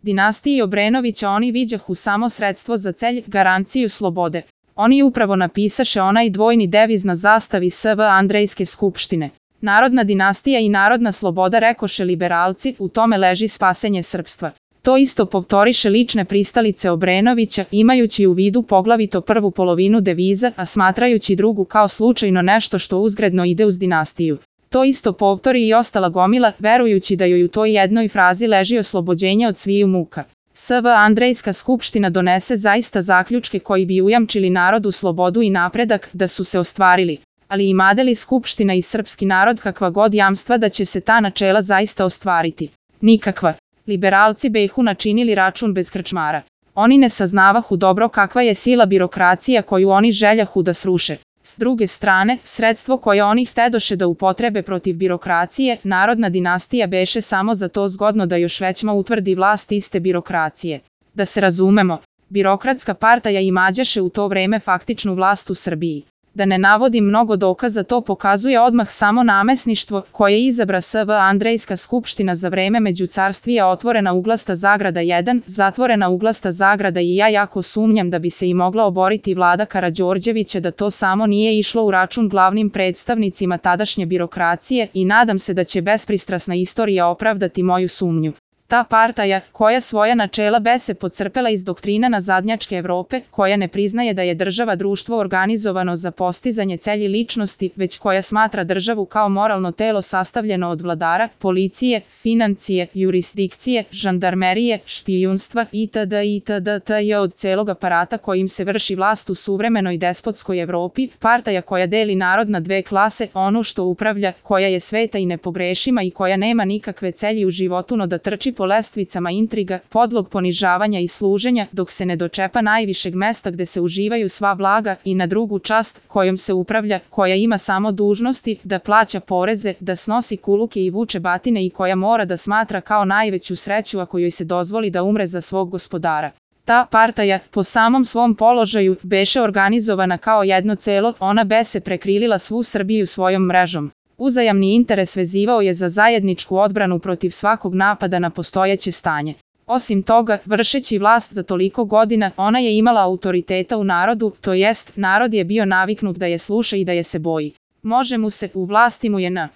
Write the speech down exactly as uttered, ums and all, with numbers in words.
Dinastiji Obrenovića oni viđahu samo sredstvo za celj, garanciju slobode. Oni upravo napisaše onaj dvojni deviz na zastavi S V Andrejske skupštine. Narodna dinastija i narodna sloboda, rekoše liberalci, u tome leži spasenje srpstva. To isto povtoriše lične pristalice Obrenovića, imajući u vidu poglavito prvu polovinu deviza, a smatrajući drugu kao slučajno nešto što uzgredno ide uz dinastiju. To isto povtori i ostala gomila, verujući da joj u toj jednoj frazi leži oslobođenje od sviju muka. S V Andrejska skupština donese zaista zaključke koji bi ujamčili narodu slobodu i napredak, da su se ostvarili. Ali imade li skupština i srpski narod kakva god jamstva da će se ta načela zaista ostvariti? Nikakva. Liberalci behu načinili račun bez krčmara. Oni ne saznavahu dobro kakva je sila birokracija koju oni željahu da sruše. S druge strane, sredstvo koje oni htedoše da upotrebe protiv birokracije, narodna dinastija beše samo za to zgodno da još većma utvrdi vlast iste birokracije. Da se razumemo, birokratska partaja imađaše u to vreme faktičnu vlast u Srbiji. Da ne navodim mnogo dokaza, to pokazuje odmah samo namesništvo koje izabra S V Andrejska skupština za vreme međucarstvija, otvorena uglasta zagrada jedan, zatvorena uglasta zagrada i ja jako sumnjam da bi se i mogla oboriti vlada Karađorđevića da to samo nije išlo u račun glavnim predstavnicima tadašnje birokracije i nadam se da će bespristrasna istorija opravdati moju sumnju. Ta partaja, koja svoja načela bese pocrpela iz doktrina nazadnjačke Evrope, koja ne priznaje da je država društvo organizovano za postizanje celji ličnosti, već koja smatra državu kao moralno telo sastavljeno od vladara, policije, financije, jurisdikcije, žandarmerije, špijunstva itd. itd. je od celog aparata kojim se vrši vlast u suvremenoj despotskoj Evropi, partaja koja deli narod na dve klase, onu što upravlja, koja je sveta i nepogrešima i koja nema nikakve celji u životu no da trči po lestvicama intriga, podlog ponižavanja i služenja, dok se ne dočepa najvišeg mesta gde se uživaju sva blaga, i na drugu čast, kojom se upravlja, koja ima samo dužnosti, da plaća poreze, da snosi kuluke i vuče batine i koja mora da smatra kao najveću sreću ako joj se dozvoli da umre za svog gospodara. Ta partaja, po samom svom položaju, beše organizovana kao jedno celo, ona bese prekrilila svu Srbiju svojom mrežom. Uzajamni interes vezivao je za zajedničku odbranu protiv svakog napada na postojeće stanje. Osim toga, vršeći vlast za toliko godina, ona je imala autoriteta u narodu, to jest, narod je bio naviknut da je sluša i da je se boji. Može mu se, u vlasti mu je na